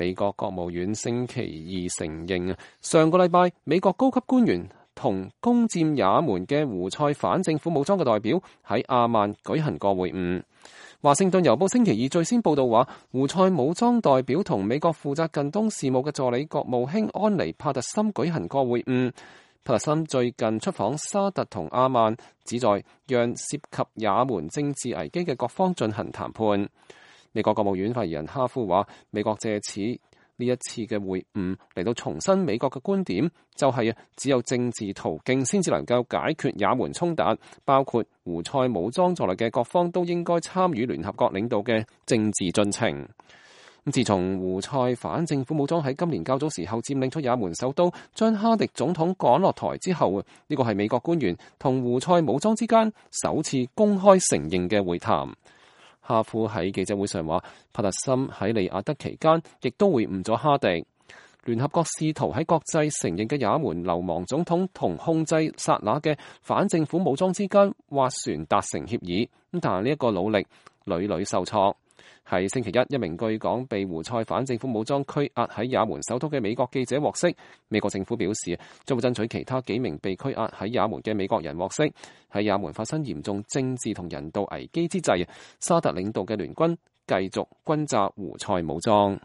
美國國務院星期二承認，上個禮拜美國高級官員同攻佔也門嘅胡塞反政府武裝嘅代表喺阿曼舉行過會晤。華盛頓郵報星期二最先報道話，胡塞武裝代表同美國負責近東事務嘅助理國務卿安妮帕特森舉行過會晤。帕特森最近出訪沙特同阿曼，旨在讓涉及也門政治危機嘅各方進行談判。美國國務院發言人哈夫話，美國借此呢一次嘅會晤嚟到重申美國嘅觀點，就係只有政治途徑先至能夠解決也門衝突，包括胡塞武裝在內嘅各方都應該參與聯合國領導嘅政治進程。自從胡塞反政府武裝喺今年較早時候佔領出也門首都，將哈迪總統趕落台之後，呢個係美國官員同胡塞武裝之間首次公開承認嘅會談。哈夫喺記者會上話，帕特森喺利雅得期間亦都會晤咗哈迪。聯合國試圖喺國際承認嘅也門流亡總統同控制薩那嘅反政府武裝之間斡旋達成協議，但係呢一個努力屢屢受挫。喺星期一，一名據講被胡塞反政府武裝拘押喺也門首都嘅美國記者獲釋。美國政府表示將會爭取其他幾名被拘押喺也門嘅美國人獲釋。喺也門發生嚴重政治同人道危機之際，沙特領導嘅聯軍繼續轟炸胡塞武裝。